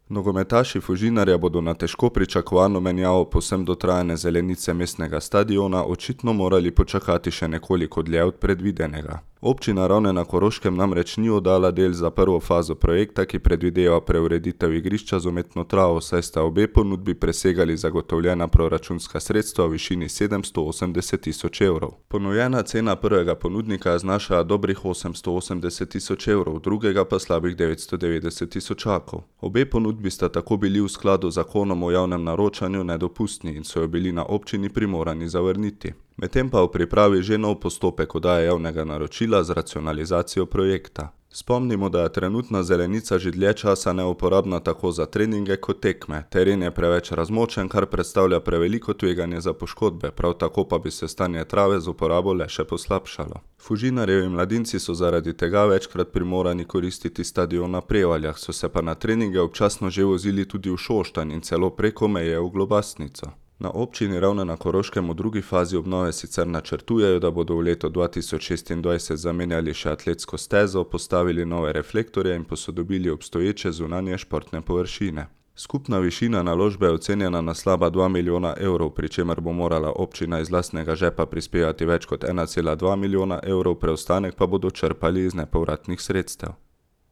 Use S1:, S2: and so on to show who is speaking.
S1: Nogometaši Fužinarja bodo na težko pričakovano menjavo povsem dotrajane zelenice mestnega stadiona očitno morali počakati še nekoliko dlje od predvidenega. Občina Ravne na Koroškem namreč ni oddala del za prvo fazo projekta, ki predvideva preureditev igrišča z umetno travo, saj sta obe ponudbi presegali zagotovljena proračunska sredstva v višini 780 000 evrov. Ponujena cena prvega ponudnika znaša dobrih 880 000 evrov, drugega pa slabih 990 000. Obe ponudbi sta tako bili v skladu z zakonom o javnem naročanju nedopustni in so jo bili na občini primorani zavrniti. Medtem pa v pripravi že nov postopek oddaje javnega naročila z racionalizacijo projekta. Spomnimo, da je trenutna zelenica že dlje časa neuporabna tako za treninge kot tekme. Teren je preveč razmočen, kar predstavlja preveliko tveganje za poškodbe, prav tako pa bi se stanje trave z uporabo le še poslabšalo. Fužinarjevi mladinci so zaradi tega večkrat primorani koristiti stadion na Prevaljah, so se pa na treninge občasno že vozili tudi v Šoštanj in celo preko meje v Globasnico. Na občini Ravne na Koroškem v drugi fazi obnove sicer načrtujejo, da bodo v letu 2026 zamenjali še atletsko stezo, postavili nove reflektorje in posodobili obstoječe zunanje športne površine. Skupna višina naložbe je ocenjena na slaba 2 milijona evrov, pri čemer bo morala občina iz lastnega žepa prispevati več kot 1,2 milijona evrov, preostanek pa bodo črpali iz nepovratnih sredstev.